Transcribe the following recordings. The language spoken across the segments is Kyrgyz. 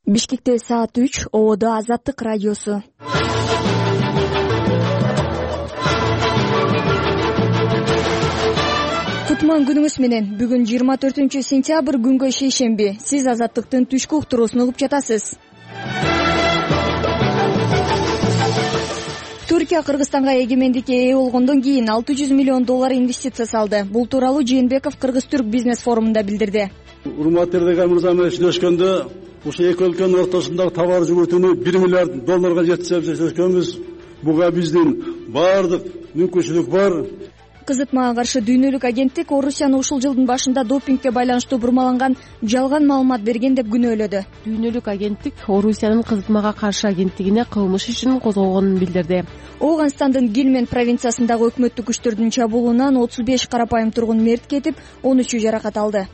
Бишкекте саат 3, Ободо Азаттык радиосу. Кутман күнүңүз менен. Бүгүн 24-сентябрь күнгө шейшемби. Сиз Азаттыктын түшкү уктуруусун угуп жатасыз. Түркия Кыргызстанга эгемендикке ээ болгондон кийин $600 миллион инвестиция салды. Бул тууралуу Жээнбеков Кыргыз-Түрк бизнес форумунда билдирди. Урматтуу Эрдоган мырза менен сүйлөшкөндө ушул эки өлкөнүн ортосундагы товар жүгүртүүнү $1 миллиард жеткизип сүйлөшкөнбүз. Буга биздин баардык мүмкүнчүлүк бар. Кызытмага каршы дүйнөлүк агенттик Орусияны ушул жылдын башында допингге байланыштуу бурмаланган жалган маалымат берген деп күнөөлөдү. Дүйнөлүк агенттик Орусиянын кызытмага каршы агенттигине кылмыш ишин козгогонун билдирди. Ооганстандын Гилмен провинциясындагы өкмөттүк күчтөрдүн чабуулунан 35 карапайым тургун мерт кетип, 13 жаракат алды.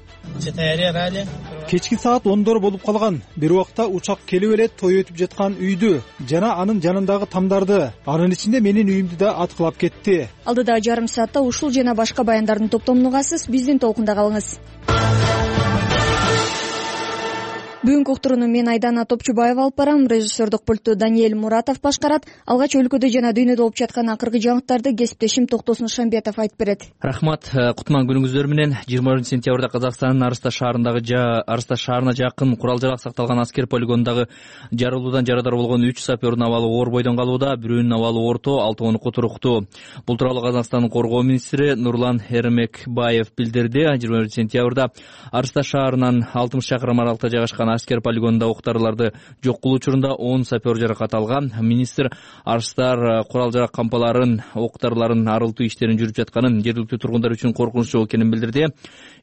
Кечки саат 10дор болуп калган. Бир убакта учак келип эле той өтүп жаткан үйдү жана анын жанындагы тамдарды, анын ичинде менин үйүмдү да аткылап кетти. Алдыдагы жарым саатта ушул жана башка баяндардын топтомун угасыз. Биздин толкунда калыңыз. Бүгүнкү уктурууну мен Айдана Топчубаева алып барам. Режиссердук пультту Даниэль Муратов башкарат. Алгач өлкөдө жана дүйнөдө болуп жаткан акыркы жаңылыктарды кесиптешим Токтосун Шамбетов айтып берет. Рахмат. Кутман күнүңүздөр менен. 20-сентябрда Казакстандын Арысташ шаарына жакын курал-жарак сакталган аскер полигонундагы жарылуудан жарадар болгон 3 сапердин абалы оор бойдон калууда, бирөөнүн абалы орто, 6 туруктуу. Бул тууралуу Казакстандын коргоо министри Нурлан Эрмекбаев билдирди. 20-сентябрда Арысташ шаарынан 60 чакырым аралыкта жайгашкан аскер полигонунда октарларды жок кылуу учурунда 10 сапер жаракат алган. Министр Арыстар курал-жарак кампаларын, октарларын арылтуу иштерин жүрүп жатканын, жергиликтүү тургундар үчүн коркунучтуу экенин билдирди.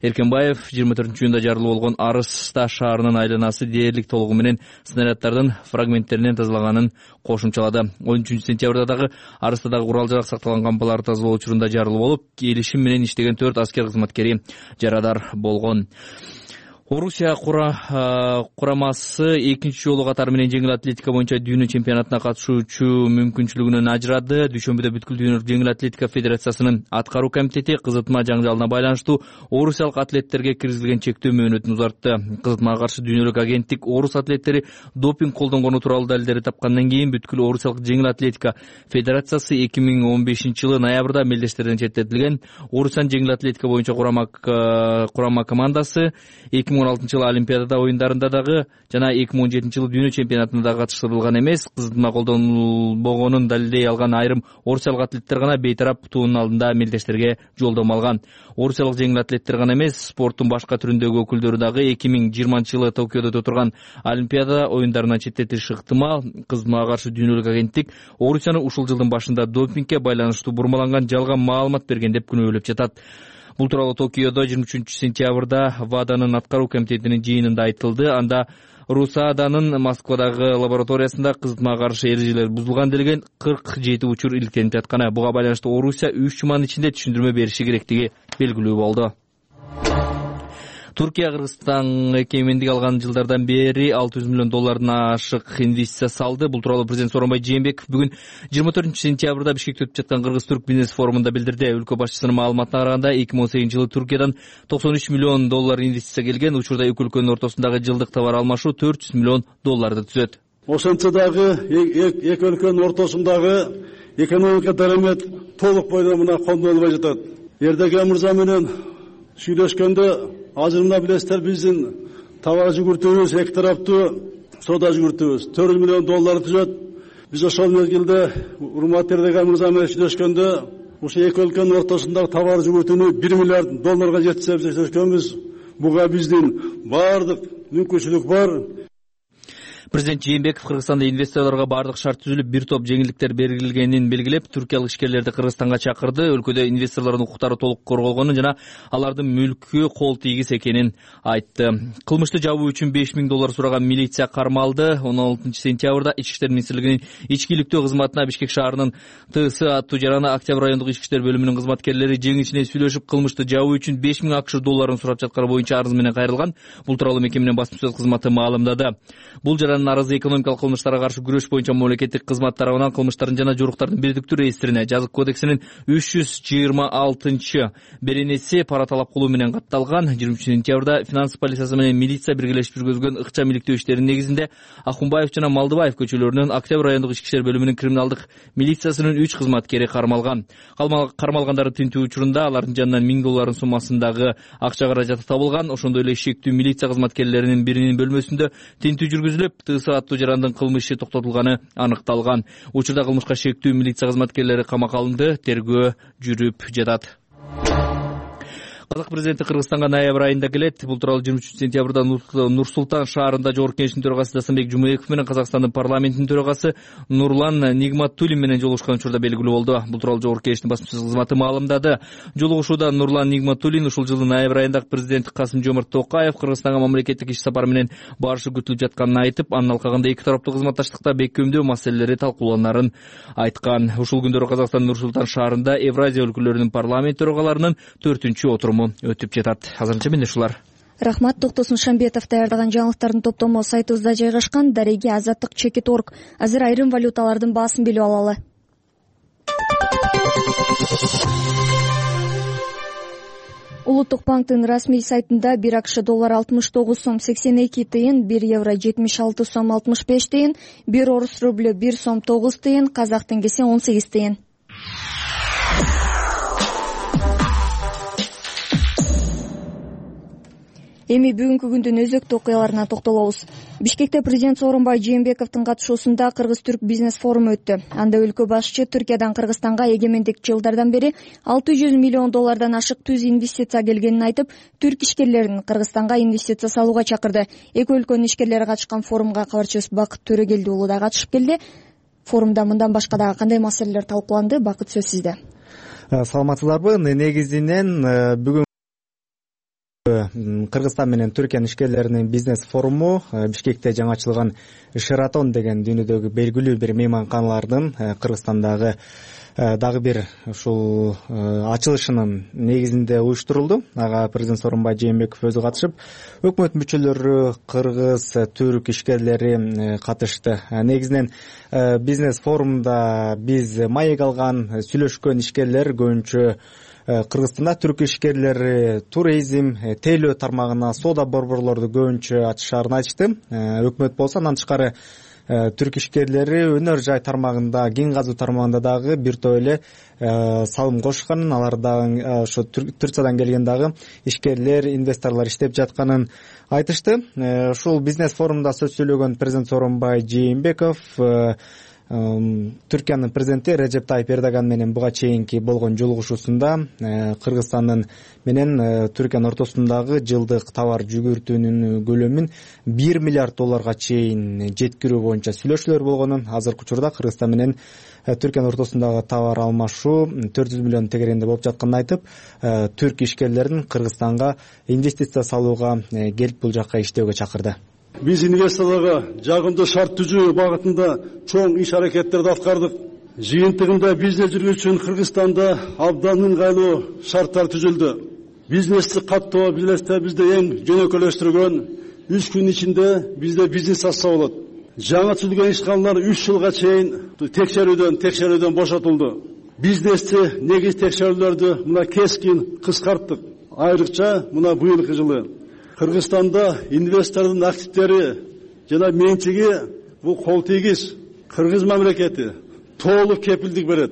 Эркенбаев 24-июнда жарылуу болгон Арысташ шаарынын айланасы дээрлик толугу менен снаряддардын фрагменттеринен тазалаганын кошумчалады. 13-сентябрда дагы Арыстадагы курал-жарак сакталган кампаларды тазалоо учурунда жарылуу болуп, келишим менен иштеген 4 аскер кызматкери жарадар болгон. Орусия курамасы экинчи жолу катары менен жеңил атлетика боюнча дүйнө чемпионатына катышуучу мүмкүнчүлүгүнөн ажырады. Дүйшөмбүдө бүткүл дүйнөлүк жеңил атлетика федерациясынын аткаруу комитети кызытма жаңжалына байланыштуу орусиялык атлеттерге киргизилген чектөө мөөнөтүн узартты. Кызытмага каршы дүйнөлүк агенттик орус атлеттери допинг колдонгону тууралуу далилдерди тапкандан кийин бүткүл орусиялык жеңил атлетика федерациясы 2015-жылы ноябрда мелдештерден четтетилген. Орусиянын жеңил атлетика боюнча курама командасы 2016-жылы Олимпиада оюндарында дагы жана 2017-жылы дүйнө чемпионатына дагы катыштырылган эмес. Кызытма колдонбогонун далилдей алган айрым орусиялык атлеттер гана бейтарап туунун алдында мелдештерге жолдомо алган. Орусиялык жеңил атлеттер гана эмес, спорттун башка түрүндөгү өкүлдөрү дагы 2020-жылы Токиодо өтө Олимпиада оюндарынан четтетилиши ыктымал. Кызытмага каршы дүйнөлүк агенттик Орусияны ушул жылдын башында допингге байланыштуу бурмаланган жалган маалымат берген деп күнөөлөп жатат. Бул тууралуу Токиодо 23-сентябрда ВАДАнын аткаруу комитетинин жыйынында айтылды. Анда РУСАДАнын Москвадагы лабораториясында кызытмага каршы эрежелер бузулган делген 47 учур иликтенип жатканы. Буга байланыштуу Орусия 3 жуманын ичинде түшүндүрмө бериши керектиги белгилүү болду. Түркия Кыргызстанга эгемендик алган жылдардан бери $600 миллион ашык инвестиция салды. Бул тууралуу президент Сооронбай Жээнбеков бүгүн 24-сентябрда Бишкекте өтүп жаткан Кыргыз-Түрк бизнес форумунда билдирди. Өлкө башчысынын маалыматына караганда 2018-жылы Түркиядан $93 миллион инвестиция келген. Учурда эки өлкөнүн ортосундагы жылдык товар алмашуу $400 миллион түзөт. Ошентсе дагы эки өлкөнүн ортосундагы экономика дарамет толук бойдон мына кондолбой жатат. Эрдоган мырза менен сүйлөшкөндө азыр мына билесиздер биздин товар жүгүртүүбүз эки тараптуу соода жүгүртүүбүз $400 миллион түзөт. Биз ошол мезгилде урматтуу Эрдоган мырза менен сүйлөшкөндө ушул эки өлкөнүн ортосундагы товар жүгүртүүнү $1 миллиард жеткизип сүйлөшкөнбүз. Буга биздин баардык мүмкүнчүлүк бар. Президент Жээнбеков Кыргызстанда инвесторлорго бардык шарт түзүлүп, бир топ жеңилдиктер берилгенин белгилеп, түркиялык ишкерлерди Кыргызстанга чакырды. Өлкөдө инвесторлордун укуктары толук корголгонун жана алардын мүлкү кол тийгис экенин айтты. Кылмышты жабуу үчүн $5 миң сураган милиция кармалды. 16-сентябрда Ички иштер министрлигинин ички иликтөө кызматына Бишкек шаарынын ТС аттуу жараны Октябрь райондук ички иштер бөлүмүнүн кызматкерлери жең ичине сүйлөшүп, кылмышты жабуу үчүн $5 миң сурап жатканы боюнча арыз менен кайрылган. Бул тууралуу мекеменин басма сөз кызматы маалымдады. Бул жараны арызы экономикалык кылмыштарга каршы күрөш боюнча мамлекеттик кызмат тарабынан кылмыштардын жана жоруктардын бирдиктүү реестрине жазык кодексинин 326 беренеси пара талап кылуу менен катталган. 20-сентябрда финанс полициясы менен милиция биргелешип жүргүзгөн ыкчам иликтөө иштеринин негизинде Акунбаев жана Малдыбаев көчөлөрүнүн Октябрь райондук ички иштер бөлүмүнүн криминалдык милициясынын 3 кызматкери кармалган. Кармалгандарды тинтүү учурунда алардын жанынан $1000 суммасындагы акча каражаты табылган. Ошондой эле шектүү милиция кызматкерлеринин биринин бөлмөсүндө тинтүү жүргүзүлүп, ТС аттуу жарандын кылмышы токтотулганы аныкталган. Учурда кылмышка шектүү милиция кызматкерлери камакка алынды, тергөө жүрүп жатат. Казак президенти Кыргызстанга ноябрь айында келет. Бул тууралуу 23-сентябрда Нур-Султан шаарында Жогорку Кеңештин төрагасы Дастамбек Жумаеков менен Казакстандын парламентинин төрагасы Нурлан Нигматуллин менен жолугушкан учурда белгилүү болду. Бул тууралуу Жогорку Кеңештин басма сөз кызматы маалымдады. Жолугушууда Нурлан Нигматуллин ушул жылдын ноябрь айында президент Касым-Жомарт Токаев Кыргызстанга мамлекеттик иш сапары менен барышы күтүлүп жатканын айтып, анын алкагында эки тараптуу кызматташтыкта бекемдөө маселелери талкууланарын айткан. Ушул күндөрү Казакстандын Нур-Султан шаарында Евразия өлкөлөрүнүн парламент төрагаларынын 4-отуруму өтүп жатат. Азырынча менде ушулар. Рахмат. Токтосун Шамбетов даярдаган жаңылыктардын топтому сайтыбызда жайгашкан. Дареги Азаттык Чекит.орг. Азыр айрым валюталардын баасын билип алалы. Улуттук банктын расмий сайтында 1 АКШ доллары 69 сом 82 тыйын, 1 евро 76 сом 65 тыйын, 1 орус рублю 1 сом 9 тыйын, казак теңгеси 18 тыйын. Эми бүгүнкү күндүн өзөктүү окуяларына токтолобуз. Бишкекте президент Сооронбай Жээнбековдун катышуусунда Кыргыз-Түрк бизнес форуму өттү. Анда өлкө башчы Түркиядан Кыргызстанга эгемендик жылдардан бери $600 миллион ашык түз инвестиция келгенин айтып, түрк ишкерлерин Кыргызстанга инвестиция салууга чакырды. Эки өлкөнүн ишкерлери катышкан форумга кабарчыбыз Бакыт Төрөгелди уулу да катышып келди. Форумда мындан башка дагы кандай маселелер талкууланды? Бакыт, сөз сизде. Саламатсыздарбы? Негизинен бүгүн Кыргызстан менен Түркиянын ишкерлеринин бизнес форуму Бишкекте жаңы ачылган Шератон деген дүйнөдөгү белгилүү бир мейманканалардын Кыргызстандагы дагы бир ушул ачылышынын негизинде уюштурулду. Ага президент Сооронбай Жээнбеков өзү катышып, өкмөт мүчөлөрү, кыргыз, түрк ишкерлери катышты. Негизинен бизнес форумда биз маек алган, сүйлөшкөн ишкерлер көбүнчө Кыргызстанда түрк ишкерлери туризм, тейлөө тармагына соода борборлорду көбүнчө ачышаарын айтышты. Өкмөт болсо андан тышкары түрк ишкерлери өнөр жай тармагында, кен казуу тармагында дагы бир топ эле салым кошканын, аларда ошо Турциядан келген дагы ишкерлер, инвесторлор иштеп жатканын айтышты. Ушул бизнес форумда сөз сөйлөгөн президент Сооронбай Жээнбеков Түркиянын президенти Режеп Тайип Эрдоган менен буга чейинки болгон жолугушуусунда Кыргызстандын менен Түркиянын ортосундагы жылдык товар жүгүртүүнүн көлөмүн $1 миллиард чейин жеткирүү боюнча сүйлөшүүлөр болгонун, азыркы учурда Кыргызстан менен Түркиянын ортосундагы товар алмашуу 400 миллион тегеренде болуп жатканын айтып, түрк ишкерлерин Кыргызстанга инвестиция салууга келип бул жакка иштөөгө чакырды. Биз инвесторлорго жагымдуу шарт түзүү багытында чоң иш аракеттерди аткардык. Жыйынтыгында бизнес жүргүзүү үчүн Кыргызстанда абдан ыңгайлуу шарттар түзүлдү. Бизнести каттоо бизнесте бизде эң жөнөкөйлөштүргөн 3 күн ичинде бизде бизнес ачса болот. Жаңы түзүлгөн ишканалар 3 жылга чейин текшерүүдөн бошотулду. Бизнести негиз текшерүүлөрдү мына кескин кыскарттык. Айрыкча мына быйылкы жылы Кыргызстанда инвестордун активдери жана менчиги бул кол тийгиз. Кыргыз мамлекети толук кепилдик берет.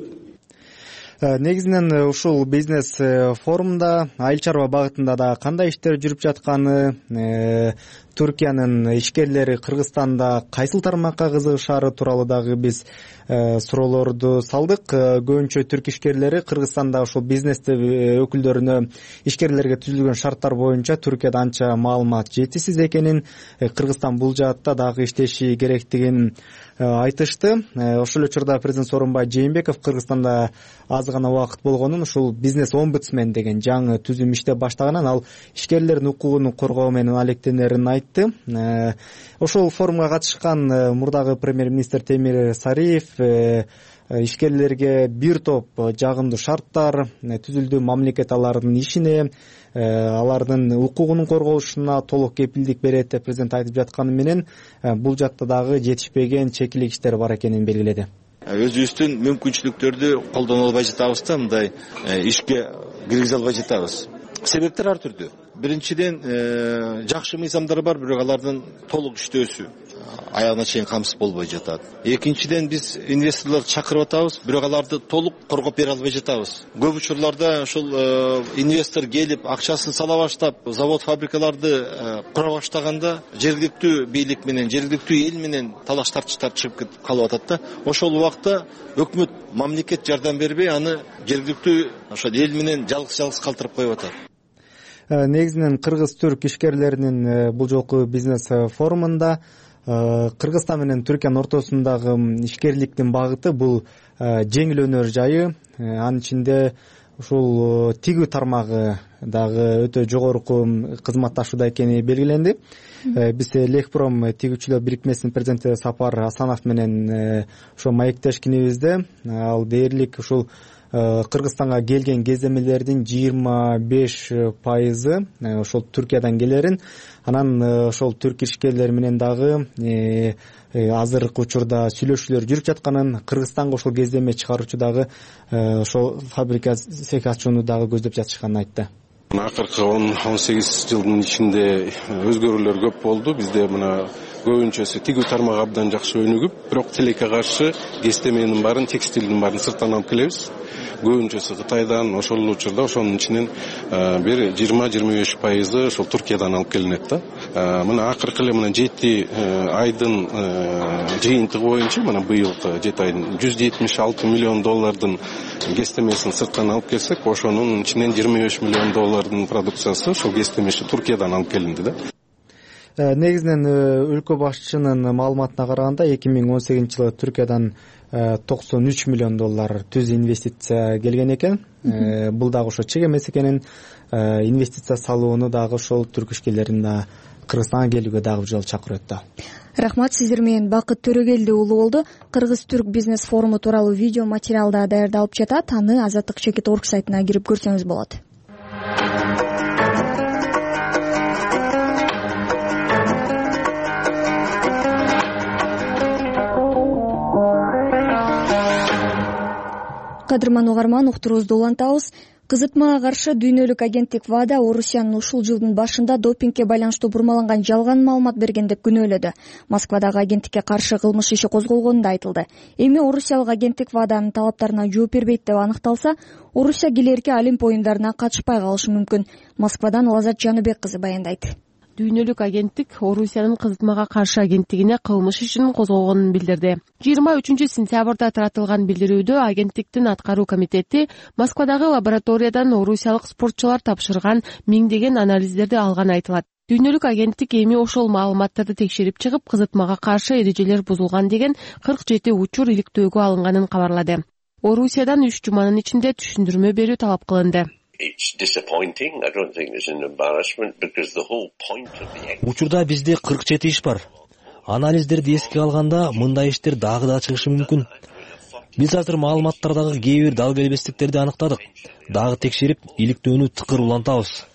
Негизинен ушул бизнес форумда айыл чарба багытында да кандай иштер жүрүп жатканы, Түркиянын ишкерлери Кыргызстанда кайсыл тармакка кызыгышаары тууралуу дагы биз суроолорду салдык. Көбүнчө түрк ишкерлери Кыргызстанда ушул бизнесте өкүлдөрүнө ишкерлерге түзүлгөн шарттар боюнча Түркияда анча маалымат жетишсиз экенин, Кыргызстан бул жаатта дагы иштеши керектигин айтышты. Ошол учурда президент Сооронбай Жээнбеков Кыргызстанда аз гана убакыт болгонун, ушул бизнес омбудсмен деген жаңы түзүм иштеп баштаганын, ал ишкерлердин укугун коргоо менен алектенерин айтып, айтты. Ошол форумга катышкан мурдагы премьер-министр Темир Сариев ишкерлерге бир топ жагымдуу шарттар түзүлдү. Мамлекет алардын ишине, алардын укугунун корголушуна толук кепилдик берет деп президент айтып жатканы менен бул жакта дагы жетишпеген чекилигиштер бар экенин белгиледи. Өзүбүздүн мүмкүнчүлүктөрдү колдоно албай жатабыз да, мындай ишке киргизе албай жатабыз. Себептер ар түрдүү. Биринчиден, жакшы мыйзамдар бар, бирок алардын толук иштөөсү аягына чейин камсыз болбой жатат. Экинчиден, биз инвесторлорду чакырып атабыз, бирок аларды толук коргоп бере албай жатабыз. Көп учурларда ошол инвестор келип, акчасын сала баштап, завод, фабрикаларды кура баштаганда жергиликтүү бийлик менен, жергиликтүү эл менен талаш тартыштар чыгып калып атат да. Ошол убакта өкмөт, мамлекет жардам бербей, аны жергиликтүү ошол эл менен жалгыз калтырып коюп атат. Негизинен кыргыз-түрк ишкерлеринин бул жолку бизнес форумунда Кыргызстан менен Түркиянын ортосундагы ишкерликтин багыты бул жеңил өнөр жайы. Анын ичинде ушул тигүү тармагы дагы өтө жогорку кызматташууда экени белгиленди. Биз Лекпром тигүүчүлөр бирикмесинин президенти Сапар Асанов менен ошо маектешкенибизде ал дээрлик ушул Кыргызстанга келген кездемелердин 25% ошол Түркиядан келерин, анан ошол түрк ишкерлери менен дагы азыркы учурда сүйлөшүүлөр жүрүп жатканын, Кыргызстанга ошол кездеме чыгаруучу дагы ошол фабрика цех ачууну дагы көздөп жатышканын айтты. Акыркы 10-18 жылдын ичинде өзгөрүүлөр көп болду. Бизде мына көбүнчөсү тигүү тармагы абдан жакшы өнүгүп, бирок тилекке каршы кестеменин баарын, текстилдин баарын сырттан алып келебиз. Көбүнчөсү Кытайдан, ошол учурда ошонун ичинен бир 20-25% ошол Туркиядан алып келинет да. Мына акыркы эле мына 7 айдын жыйынтыгы боюнча, мына быйылкы 7 айдын $176 миллион кестемесин сырттан алып келсек, ошонун ичинен $25 миллион продукциясы ошол кестемеши Туркиядан алып келинди да. Негизинен өлкө башчынын маалыматына караганда 2018 жылы Түркиядан $93 миллион түз инвестиция келген экен. Бул дагы ошо чек эмес экенин, инвестиция салууну дагы ошол түрк ишкерлерин да Кыргызстанга келүүгө дагы бир жолу чакырып өттү. Рахмат, сиздер менен Бакыт Төрөгелди уулу болду. Кыргыз-түрк бизнес форуму тууралуу видео материал да даярдалып жатат. Аны Азаттык.org сайтына кирип көрсөңүз болот. Кадырман угарман, уктуруубузду улантабыз. Кызытмага каршы дүйнөлүк агенттик ВАДА Орусиянын ушул жылдын башында допингге байланыштуу бурмаланган жалган маалымат берген деп күнөөлөдү. Москвадагы агенттикке каршы кылмыш иши козголгону да айтылды. Эми орусиялык агенттик ВАДАнын талаптарына жооп бербейт деп аныкталса, Орусия келерки Олимп оюндарына катышпай калышы мүмкүн. Москвадан Лазат Жаныбек кызы баяндайт. Дүйнөлүк агенттик Орусиянын кызытмага каршы агенттигине кылмыш ишин козгогонун билдирди. 23-сентябрда таратылган билдирүүдө агенттиктин аткаруу комитети Москвадагы лабораториядан орусиялык спортчулар тапшырган миңдеген анализдерди алганы айтылат. Дүйнөлүк агенттик эми ошол маалыматтарды текшерип чыгып, кызытмага каршы эрежелер бузулган деген 47 учур иликтөөгө алынганын кабарлады. Орусиядан 3 жуманын ичинде түшүндүрмө берүү талап кылынды. Учурда бизде 47 иш бар. Анализдерди эске алганда мындай иштер дагы да чыгышы мүмкүн. Биз азыр маалыматтардагы кээ бир дал келбестиктерди аныктадык. Дагы текшерип, иликтөөнү тыкыр улантабыз.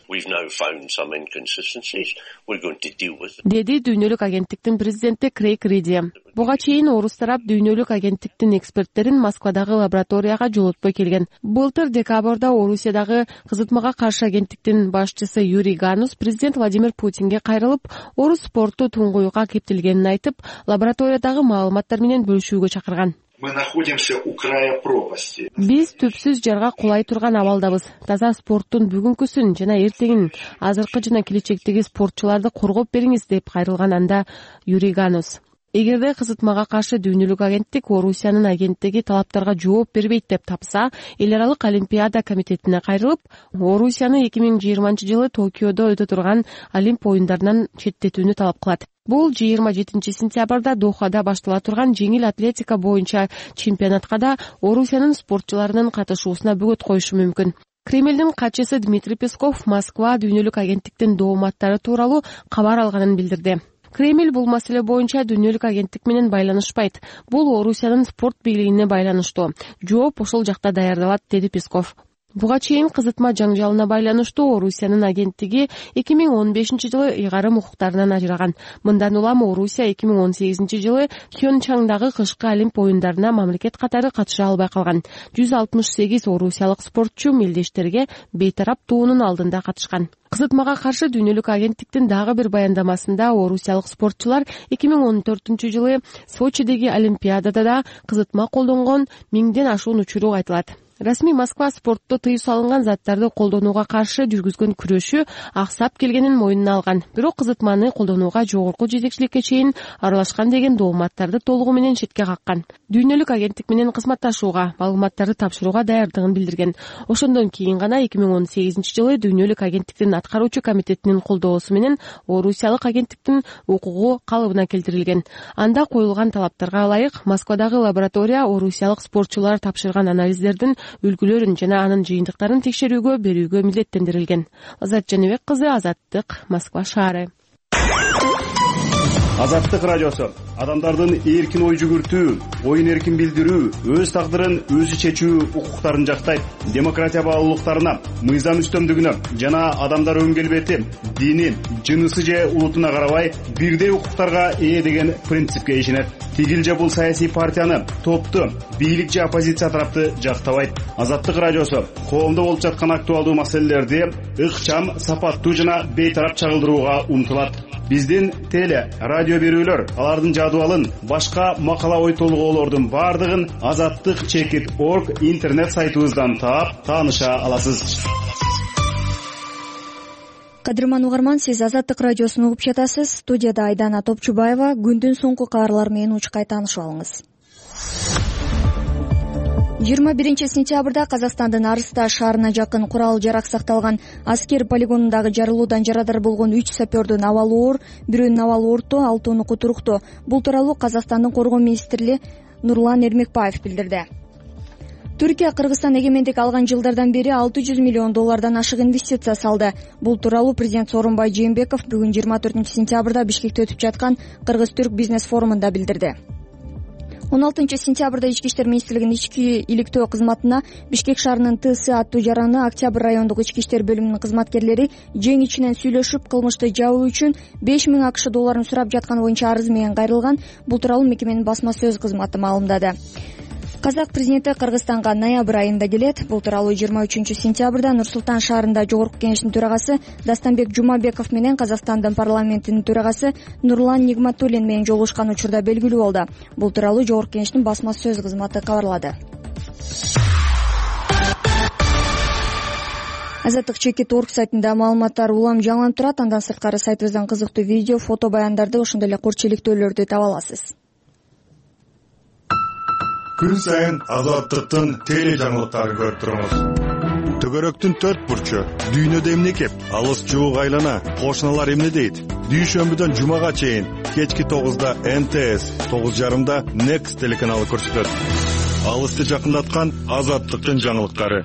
Деди дүйнөлүк агенттиктин президенти Крейг Риди. Буга чейин орус тарап дүйнөлүк агенттиктин эксперттерин Москвадагы лабораторияга жолотпой келген. Былтыр декабрда Орусиядагы кызытмага каршы агенттиктин башчысы Юрий Ганус президент Владимир Путинге кайрылып, орус спорту туңгуюкка кептелгенин айтып, лабораториядагы маалыматтар менен бөлүшүүгө чакырган. Мы находимся у края пропасти. Биз түпсүз жарга кулай турган абалдабыз. Таза спорттун бүгүнкүсүн жана эртеңин, азыркы жана келечектеги спортчуларды коргоп бериңиз деп кайрылган анда Юрий Ганус. Эгерде кызытмага каршы дүйнөлүк агенттик Орусиянын агенттиги талаптарга жооп бербейт деп тапса, эл аралык Олимпиада комитетине кайрылып, Орусияны 2020-жылы Токиодо өтө турган Олимп оюндарынан четтетүүнү талап кылат. Бул 27-сентябрда Дохада баштала турган жеңил атлетика боюнча чемпионатка да Орусиянын спортчуларынын катышуусуна бөгөт коюшу мүмкүн. Кремлдин катчысы Дмитрий Песков Москва дүйнөлүк агенттиктин дооматтары тууралуу кабар алганын билдирди. Кремль бул маселе боюнча дүйнөлүк агенттик менен байланышпайт. Бул Орусиянын спорт бийлигине байланыштуу. Жооп ошол жакта даярдалат, деди Песков. Буга чейин кызытма жаңжалына байланыштуу Орусиянын агенттиги 2015-жылы ыйгарым укуктарынан ажыраган. Мындан улам Орусия 2018-жылы Пхенчхандагы кышкы Олимп оюндарына мамлекет катары катыша албай калган. 168 орусиялык спортчу мелдештерге бейтарап туунун алдында катышкан. Кызытмага каршы дүйнөлүк агенттиктин дагы бир баяндамасында орусиялык спортчулар 2014-жылы Сочидеги Олимпиадада да кызытма колдонгон 1000ден ашуун учуру айтылат. Расмий Москва спортто тыюу салынган заттарды колдонууга каршы жүргүзгөн күрөшү аксап келгенин мойнуна алган. Бирок кызытманы колдонууга жогорку жетекчиликке чейин аралашкан деген дооматтарды толугу менен четке каккан. Дүйнөлүк агенттик менен кызматташууга, маалыматтарды тапшырууга даярдыгын билдирген. Ошондон кийин гана 2018-жылы дүйнөлүк агенттиктин аткаруучу комитетинин колдоосу менен орусиялык агенттиктин укугу калыбына келтирилген. Анда коюлган талаптарга ылайык Москвадагы лаборатория орусиялык спортчулар тапшырган анализдердин үлгүлөрүн жана анын жыйынтыктарын текшерүүгө берүүгө милдеттендирилген. Азат Жаныбек кызы, Азаттык, Москва шаары. Азаттык радиосу адамдардын эркин ой жүгүртүү, оюн эркин билдирүү, өз тагдырын өзү чечүү укуктарын жактайт. Демократия баалуулуктарына, мыйзам үстөмдүгүнө жана адамдар өн келбети, дини, жынысы же улутуна карабай бирдей укуктарга ээ деген принципке ишенет. Тигил же бул саясий партияны, топту, бийлик же оппозиция тарапты жактабайт. Азаттык радиосу коомдо болуп жаткан актуалдуу маселелерди ыкчам, сапаттуу жана бейтарап чагылдырууга умтулат. Биздин теле, радио берүүлөр, алардын жадыбалын, башка макала ой толгоолордун бардыгын azattik.org интернет сайтыбыздан таап, тааныша аласыз. Кадырман угарман, сиз Азаттык радиосун угуп жатасыз. Студияда Айдана Топчубаева. Күндүн соңку кабарлары менен учкай таанышып алыңыз. 21-сентябрда Казакстандын Арыста шаарына жакын курал-жарак сакталган аскер полигонундагы жарылуудан жарадар болгон 3 сапёрдун абалы оор, бирөөнүн абалы орто, 6-ы туруктуу. Бул тууралуу Казакстандын коргоо министри Нурлан Эрмекбаев билдирди. Түркия Кыргызстан эгемендик алган жылдардан бери $600 миллион ашык инвестиция салды. Бул тууралуу президент Сооронбай Жээнбеков бүгүн 24-сентябрда Бишкекте өтүп жаткан Кыргыз-Түрк бизнес форумунда билдирди. 16-сентябрда Ички иштер министрлигинин ички иликтөө кызматына Бишкек шаарынын ТС аттуу жараны Октябрь райондук ички иштер бөлүмүнүн кызматкерлери жең ичинен сүйлөшүп, кылмышты жабуу үчүн $5000 сурап жатканы боюнча арыз менен кайрылган. Бул тууралуу мекеменин басма сөз кызматы маалымдады. Казак президенти Кыргызстанга ноябрь айында келет. Бул тууралуу 23-сентябрда Нур-Султан шаарында Жогорку Кеңештин төрагасы Дастанбек Жумабеков менен Казакстандын парламентинин төрагасы Нурлан Нигматуллин менен жолугушкан учурда белгилүү болду. Бул тууралуу Жогорку Кеңештин басма сөз кызматы кабарлады. Azattik.org сайтында маалыматтар улам жаңыланып турат. Андан сырткары сайтыбыздан кызыктуу видео, фото баяндарды, ошондой эле курчиликтөөлөрдү таба аласыз. Күн сайын Азаттыктын теле жаңылыктарын көрүп туруңуз. Төгөрөктүн 4 бурчу, дүйнөдө эмне кеп, алыс жуук айлана, кошуналар эмне дейт? Дүйшөмбүдөн жумага чейин кечки 9-да НТС, 9:30-да Next телеканалы көрсөтөт. Алысты жакындаткан Азаттыктын жаңылыктары.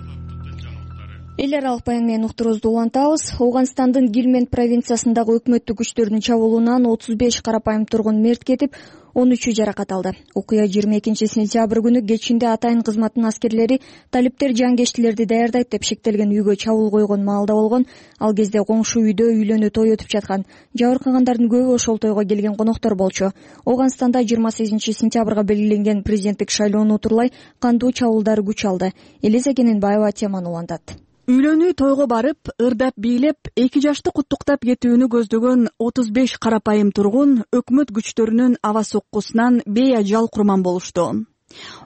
Эл аралык баян менен уктуруубузду улантабыз. Ооганстандын Гилмент провинциясындагы өкмөттүк күчтөрдүн чабуулунан 35 карапайым тургун мерт кетип, 13 жаракат алды. Окуя 22-сентябрь күнү кечинде атайын кызматтын аскерлери талиптер жангечтилерди даярдайт деп шектелген үйгө чабуул койгон маалда болгон. Ал кезде коңшу үйдө үйлөнүү той өтүп жаткан. Жабыркагандардын көбү ошол тойго келген коноктор болчу. Ооганстанда 28-сентябрга белгиленген президенттик шайлоону утурлай кандуу чабуулдар күч алды. Элиза Кененбаева теманы улантат. Үйлөнүү тойго барып, ырдап бийлеп, 2 жашты куттуктап кетүүнү көздөгөн 35 карапайым тургун өкмөт күчтөрүнүн аба соккусунан бейажал курман болушту.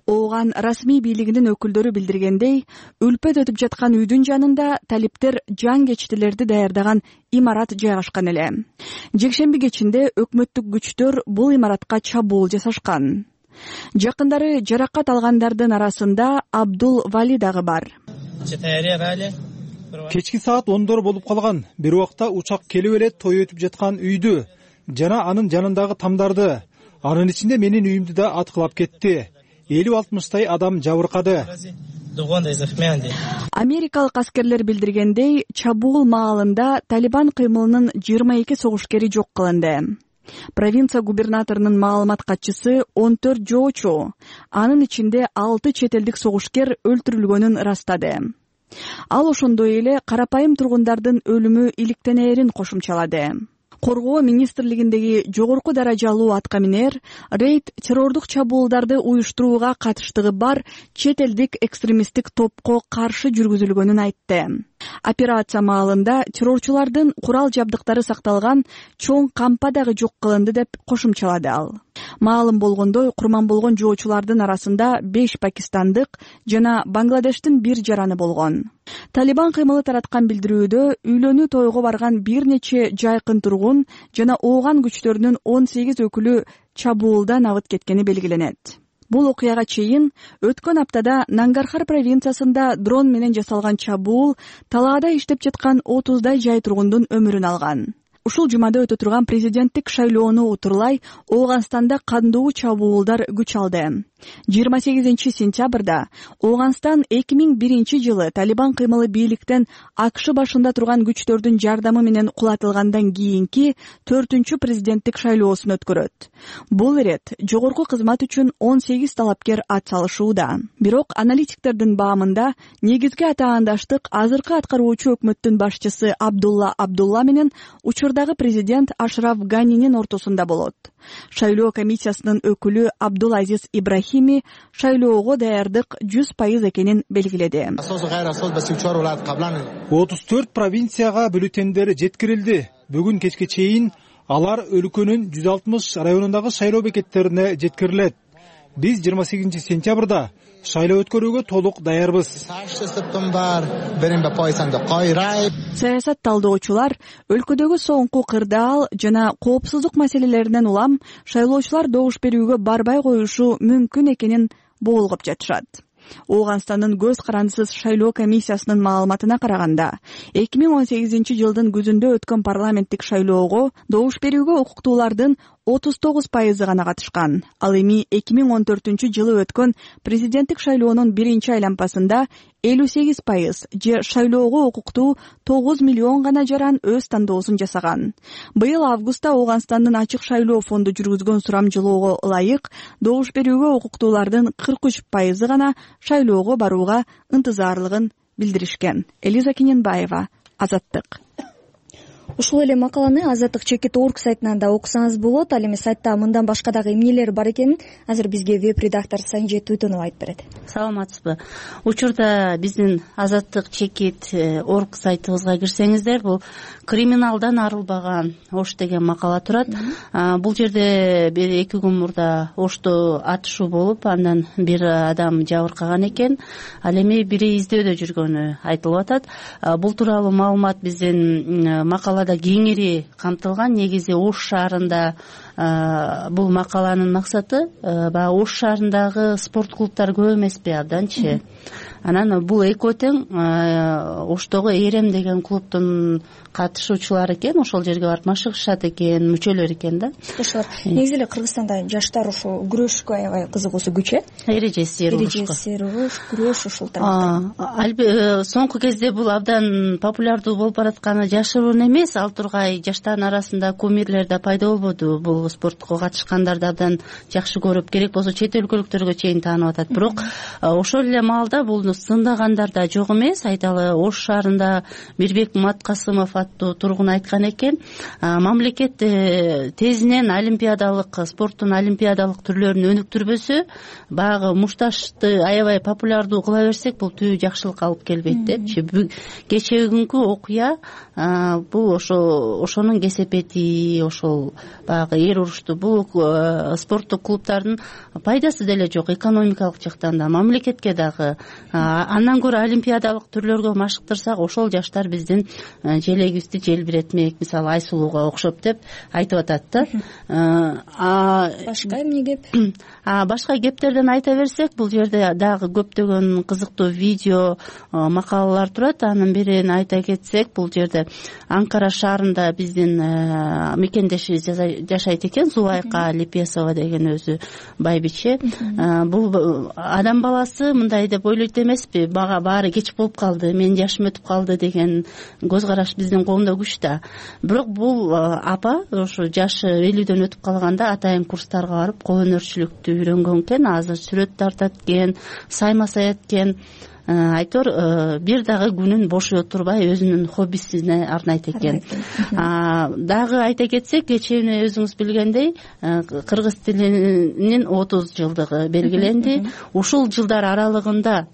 Ооган расмий бийлигинин өкүлдөрү билдиргендей, үлпөт өтүп жаткан үйдүн жанында талиптер жангечтилерди даярдаган имарат жайгашкан эле. Жекшемби кечинде өкмөттүк күчтөр бул имаратка чабуул жасашкан. Жакындары жаракат алгандардын арасында Абдул Вали дагы бар. Кечки саат 10-дор болуп калган. Бир убакта учак келип эле той өтүп жаткан үйдү жана анын жанындагы тамдарды, анын ичинде менин үйүмдү да аткылап кетти. 50-60 адам жабыркады. Америкалык аскерлер билдиргендей, чабуул маалында Талибан кыймылынын 22 согушкери жок кылынды. Провинция губернаторунун маалымат катчысы 14 жоочу, анын ичинде 6 чет элдик согушкер өлтүрүлгөнүн ырастады. Ал ошондой эле карапайым тургундардын өлүмү иликтенээрин кошумчалады. Коргоо министрлигиндеги жогорку даражалуу аткаминер рейд террордук чабуулдарды уюштурууга катыштыгы бар чет элдик экстремисттик топко каршы жүргүзүлгөнүн айтты. Операция маалында террорчулардын курал жабдыктары сакталган чоң кампа дагы жок кылынды деп кошумчалады ал. Маалым болгондой, курман болгон жоочулардын арасында 5 пакистандык жана Бангладештин 1 жараны болгон. Талибан кыймылы тараткан билдирүүдө үйлөнүү тойго барган бир нече жайкын тургун жана ооган күчтөрүнүн 18 өкүлү чабуулдан абыт кеткени белгиленет. Бул окуяга чейин өткөн аптада Нангархар провинциясында дрон менен жасалган чабуул талаада иштеп жаткан 30дай жай тургундун өмүрүн алган. Ушул жумада өтө турган президенттик шайлоону утурлай Ооганстанда кандуу чабуулдар күч алды. 28 сентябрда Ооганстан 2001 жылы Талибан кыймылы бийликтен АКШ башында турган күчтөрдүн жардамы менен кулатылгандан кийинки 4-чү президенттик шайлоосун өткөрөт. Бул ирет жогорку кызмат үчүн 18 талапкер ат салышууда. Бирок аналитиктердин баамында негизги атаандаштык азыркы аткаруучу өкмөттүн башчысы Абдулла Абдулла менен учурдагы президент Ашраф Ганинин ортосунда болот. Шайлоо комиссиясынын өкүлү Абдулазиз Ибрахими шайлоого даярдык 100% экенин белгиледи. 34 провинцияга бюллетендер жеткирилди. Бүгүн кечке чейин алар өлкөнүн 160 районундагы шайлоо бекеттерине жеткирилет. Биз 28 сентябрда шайлоо өткөрүүгө толук даярбыз. Саясат талдоочулар өлкөдөгү соңку кырдаал жана коопсуздук маселелеринен улам шайлоочулар добуш берүүгө барбай коюшу мүмкүн экенин боолгоп жатышат. Ооганстандын көз карандысыз шайлоо комиссиясынын маалыматына караганда, 2018 жылдын күзүндө өткөн парламенттик шайлоого добуш берүүгө укуктуулардын 39% гана катышкан. Ал эми 2014 жылы өткөн президенттик шайлоонун биринчи айланпасында 58% же шайлоого укуктуу 9 миллион гана жаран өз тандоосун жасаган. Быйыл августта Ооганстандын ачык шайлоо фонду жүргүзгөн сурамжылоого ылайык добуш берүүгө укуктуулардын 43% гана шайлоого барууга ынтызарлыгын билдиришкен. Элиза Кененбаева, Азаттык. Ушул эле макаланы azattik.org сайтынан да окусаңыз болот. Ал эми сайтта мындан башка дагы эмнелер бар экенин азыр бизге веб-редактор Санжет Туйтонов айтып берет. Саламатсызбы. Учурда биздин azattik.org сайтыбызга кирсеңиздер, бул криминалдан арылбаган Ош деген макала турат. Бул жерде 2 күн мурда Ошто атышуу болуп, андан бир адам жабыркаган экен. Ал эми бири издөөдө жүргөнү айтылып атат. Бул тууралуу маалымат биздин макалада кеңири камтылган. Негизи Ош шаарында бул макаланын максаты баягы Ош шаарындагы спорт клубтар көп эмеспи абданчы. Анан бул экөө тең Оштогу Эрем деген клубтун катышуучулары экен, ошол жерге барып машыгышат экен, мүчөлөр экен да. Ошолор негизи эле Кыргызстанда жаштар ушул күрөшкө аябай кызыгуусу күч э? Эрежесир уруш, күрөш ушул тармакта. Соңку кезде бул абдан популярдуу болуп баратканы жашыруун эмес. Ал тургай жаштардын арасында кумирлер да пайда болбоду. Бул спортко катышкандарды абдан жакшы көрүп, керек болсо чет өлкөлүктөргө чейин таанып атат. Бирок ошол эле маалда бул сындагандар да жок эмес. Айталы, Ош шаарында Мирбек Маткасымов аттуу тургун айткан экен, мамлекет тезинен олимпиадалык спорттун олимпиадалык түрлөрүн өнүктүрбөсө, баягы мушташты аябай популярдуу кыла берсек, бул түбү жакшылыкка алып келбейт депчи. Кечеүгүнкү окуя бул ошонун кесепети, ошол баягы эр урушту, бул спорттук клубтардын пайдасы деле жок экономикалык жактан да, мамлекетке дагы. Андан көрө олимпиадалык түрлөргө машыктырсак, ошол жаштар биздин желегибизди желбиретмек, мисалы Айсулууга окшоп деп айтып атат да. Башка эмне кеп? Башка кептерден айта берсек, бул жерде дагы көптөгөн кызыктуу видео, макалалар турат. Анын бирин айта кетсек, бул жерде Анкара шаарында биздин мекендешибиз жашайт айтайт экен, Зубайка Лепесова деген өзү байбиче. Бул адам баласы мындай деп ойлойт эмеспи, баары кеч болуп калды, менин жашым өтүп калды деген көз караш биздин коомдо күч да. Бирок бул апа ошо жашы 50дөн өтүп калганда атайын курстарга барып кол өнөрчүлүктү үйрөнгөн экен. Азыр сүрөт тартат экен, сайма саят экен. Айтор бир дагы күнүн бошой отурбай өзүнүн хоббисине арнайт экен. Дагы айта кетсек, кечээ өзүңүз билгендей кыргыз тилинин 30 жылдыгы белгиленди. Ушул жылдар аралыгында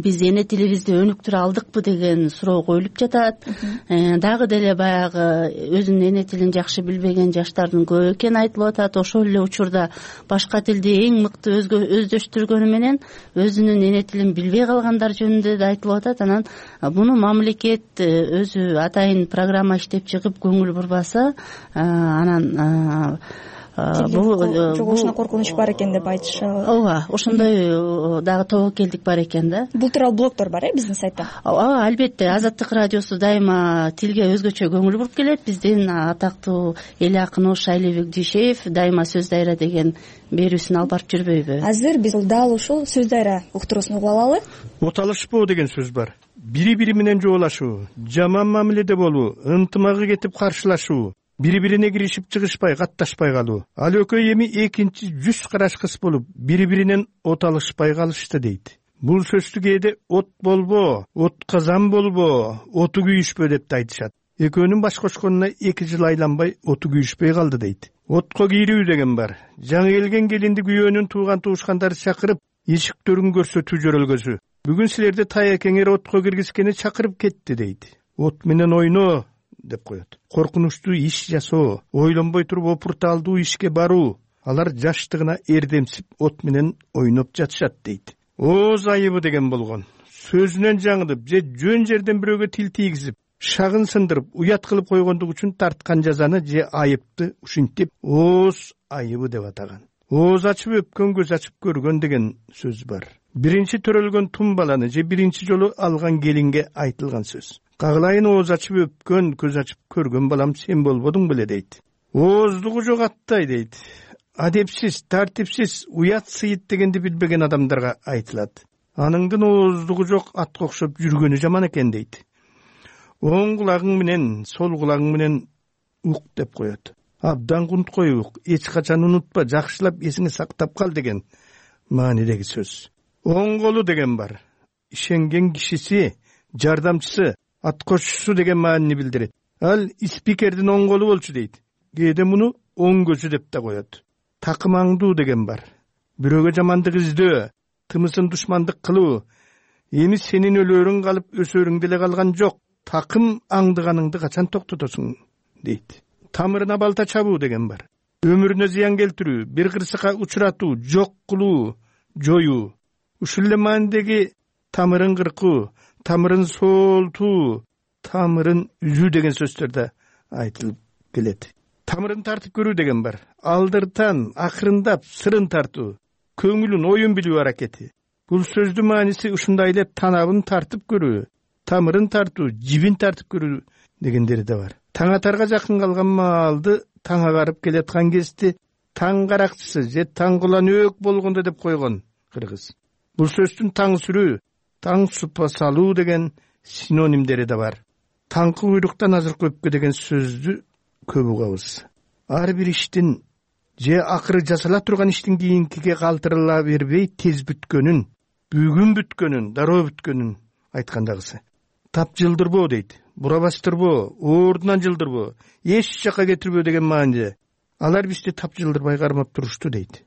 биз эне тилибизди өнүктүрө алдыкпы деген суроо коюлуп жатат. Дагы деле баягы өзүнүн эне тилин жакшы билбеген жаштардын көп экени айтылып атат. Ошол эле учурда башка тилди эң мыкты өздөштүргөнү менен өзүнүн эне тилин билбей калгандар жөнүндө да айтылып атат. Анан буну мамлекет өзү атайын программа иштеп чыгып көңүл бурбаса, анан жогошуна коркунуч бар экен деп айтышабы. Ооба, ошондой дагы тобокелдик бар экен да. Бул тууралуу блогдор бар биздин сайтта. Албетте, Азаттык радиосу дайыма тилге өзгөчө көңүл буруп келет. Биздин атактуу эл акыны Шайлебек Дүйшеев дайыма сөз дайра деген берүүсүн алып барып жүрбөйбү? Азыр биз дал ушул сөз дайра уктуруусун угуп алалы. Оталышпоо деген сөз бар. Бири-бири менен жоолашуу, жаман мамиледе болуу, ынтымагы кетип каршылашуу, бири-бирине киришип чыгышпай, катташпай калуу. Ал экөө эми экинчи жүз карашкыс болуп, бири-биринен от алышпай калышты дейт. Бул сөздү кээде от болбо, от казан болбо, оту күйүшпө деп айтышат. Экөөнүн баш кошконуна 2 жыл айланбай оту күйүшпөй калды дейт. Отко кийрүү деген бар. Жаңы келген келинди күйөөнүн тууган туушкандары чакырып, эшиктерин көрсөтүү жөрөлгөсү. Бүгүн силерди таякеңер отко киргизгени чакырып кетти дейт. От менен ойно деп коет. Коркунучтуу иш жасоо, ойлонбой туруп опурталдуу ишке баруу. Алар жаштыгына эрдемсип от менен ойноп жатышат дейт. Ооз айыбы деген болгон. Сөзүнөн жаңылып, же жөн жерден бирөөгө тил тийгизип, шагын сындырып, уят кылып койгондук үчүн тарткан жазаны же айыпты ушинтип ооз айыбы деп атаган. Ооз ачып өпкөн көз ачып көргөн деген сөз бар. Биринчи төрөлгөн тум баланы же биринчи жолу алган келинге айтылган сөз. Кагылайын ооз ачып өпкөн, көз ачып көргөн балам сен болбодуң беле дейт. Ооздугу жок аттай дейт. Адепсиз, тартипсиз, уят сыйыт дегенди билбеген адамдарга айтылат. Аныңдын ооздугу жок атка окшоп жүргөнү жаман экен дейт. Оң кулагың менен, сол кулагың менен ук деп коет. Абдан кунткой ук, эч качан унутпа, жакшылап эсиңе сактап кал деген маанидеги сөз. Оң колу деген бар. Ишенген кишиси, жардамчысы, ат кошчусу деген маанини билдирет. Ал спикердин оң колу болчу дейт. Кээде муну оң көзү деп да коет. Такымаңдуу деген бар. Бирөөгө жамандык издөө, тымысын душмандык кылуу. Эми сенин өлөрүң калып, өсөрүң деле калган жок. Такым аңдыганыңды качан токтотосуң дейт. Тамырына балта чабуу деген бар. Өмүрүнө зыян келтирүү, бир кырсыкка учуратуу, жок кылуу, жоюу. Ушул эле маанидеги тамырын кыркуу, тамырын соолтуу, тамырын үзүү деген сөздөр да айтылып келет. Тамырын тартып көрүү деген бар. Алдыртан, акырындап, сырын тартуу, көңүлүн, оюн билүү аракети. Бул сөздүн мааниси ушундай эле танабын тартып көрүү, тамырын тартуу, жибин тартып көрүү дегендери да бар. Таң атарга жакын калган маалды таң агарып келаткан кезде таң каракчысы же таң кулан өк болгондо деп койгон кыргыз. Бул сөздүн таң сүрүү, таң супа салуу деген синонимдери да бар. Таңкы куйруктан азыркы өпкө деген сөздү көп угабыз. Ар бир иштин же акыры жасала турган иштин кийинкиге калтырыла бербей тез бүткөнүн, бүгүн бүткөнүн, дароо бүткөнүн айткандагысы. Тап жылдырбоо дейт. Бура бастырбоо, ордунан жылдырбоо, эч жака кетирбөө деген мааниде. Алар бизди тап жылдырбай кармап турушту дейт.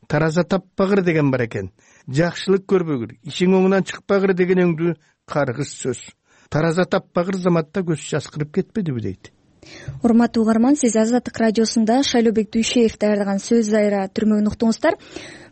Тараза таппагыр деген бар экен. Жакшылык көрбөгүр, ишиң оңунан чыкпагыр деген өңдүү каргыз сөз. Тараза таппагыр заматта көз жаскырып кетпедиби дейт. Урматтуу угарман, сиз Азаттык радиосунда Шайлебек Дүйшеев даярдаган сөз дайра түрмөгүн уктуңуздар.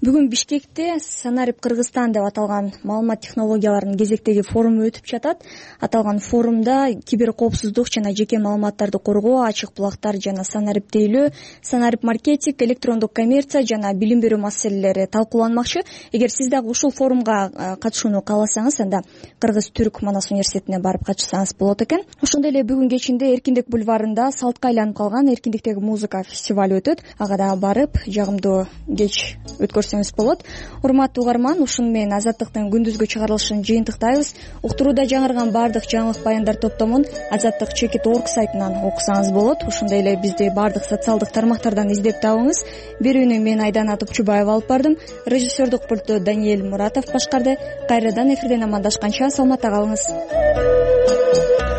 Бүгүн Бишкекте Санарип Кыргызстан деп аталган маалымат технологияларынын кезектеги форуму өтүп жатат. Аталган форумда киберкоопсуздук жана жеке маалыматтарды коргоо, ачык булактар жана санариптейлөө, санарип маркетинг, электрондук коммерция жана билим берүү маселелери талкууланмакчы. Эгер сиз дагы ушул форумга катышууну кааласаңыз, анда Кыргыз-Түрк Манас университетине барып катышсаңыз болот экен. Ошондой эле бүгүн кечинде Эркиндик бульварында салтка айланып калган Эркиндиктеги музыка фестивалю өтөт. Ага да барып жагымдуу кеч өткөрсөңүз болот. Урматтуу угарман, ушуну менен Азаттыктын күндүзгү чыгарылышын жыйынтыктайбыз. Уктурууда жаңырган баардык жаңылык баяндар топтомун Азаттык Чекит.org сайтынан окусаңыз болот. Ошондой эле бизди баардык социалдык тармактардан издеп табыңыз. Берүүнү мен Айдана Топчубаева алып бардым. Режиссердук пульту Даниэль Муратов башкарды. Кайрадан эфирден амандашканча саламатта калыңыз.